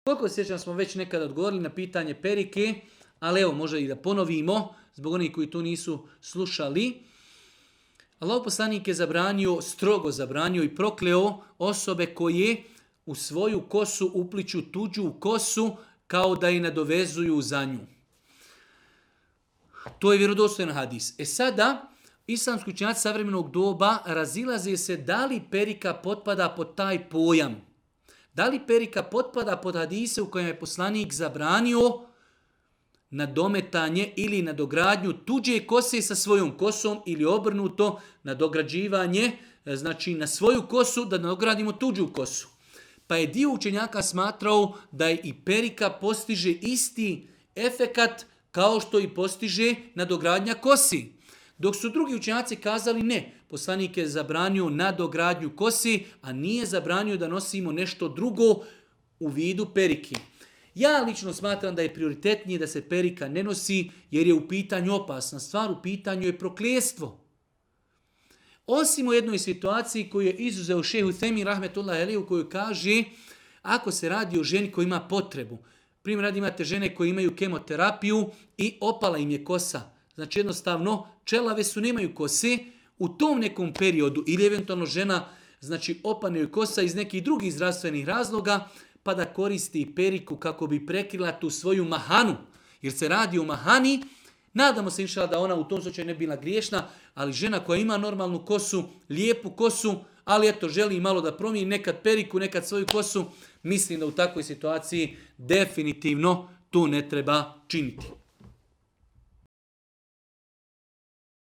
Koliko sjećam smo već nekad odgovorili na pitanje perike, ali evo možda i da ponovimo, zbog onih koji to nisu slušali. Allahov poslanik je zabranio, strogo zabranio i prokleo osobe koje u svoju kosu upliću tuđu kosu kao da je nadovezuju za nju. To je vjerodostojan hadis. Sada, islamski učenjaci savremenog doba razilaze se da li perika potpada pod taj pojam. Da li perika potpada pod hadise u kojem je poslanik zabranio nadometanje ili nadogradnju tuđe kose sa svojom kosom ili obrnuto nadograđivanje, znači na svoju kosu da nadogradimo tuđu kosu. Pa je dio učenjaka smatrao da je i perika postiže isti efekat kao što i postiže nadogradnja kosi. Dok su drugi učenjaci kazali ne, poslanik je zabranio nadogradnju kosi, a nije zabranio da nosimo nešto drugo u vidu perike. Ja lično smatram da je prioritetnije da se perika ne nosi jer je u pitanju opasna stvar, u pitanju je prokljestvo. Osim u jednoj situaciji koju je izuzeo šejh Uthejmin rahmetullahi alejhi u kojoj kaže ako se radi o ženi koja ima potrebu. Primjer radi imate žene koje imaju kemoterapiju i opala im je kosa. Znači jednostavno čelave su nemaju kose u tom nekom periodu ili eventualno žena znači opane joj kosa iz nekih drugih zdravstvenih razloga pa da koristi periku kako bi prekrila tu svoju mahanu. Jer se radi o mahani, nadamo se inšala da ona u tom slučaju ne bila griješna, ali žena koja ima normalnu kosu, lijepu kosu, ali eto želi malo da promijeni nekad periku, nekad svoju kosu, mislim da u takvoj situaciji definitivno to ne treba činiti.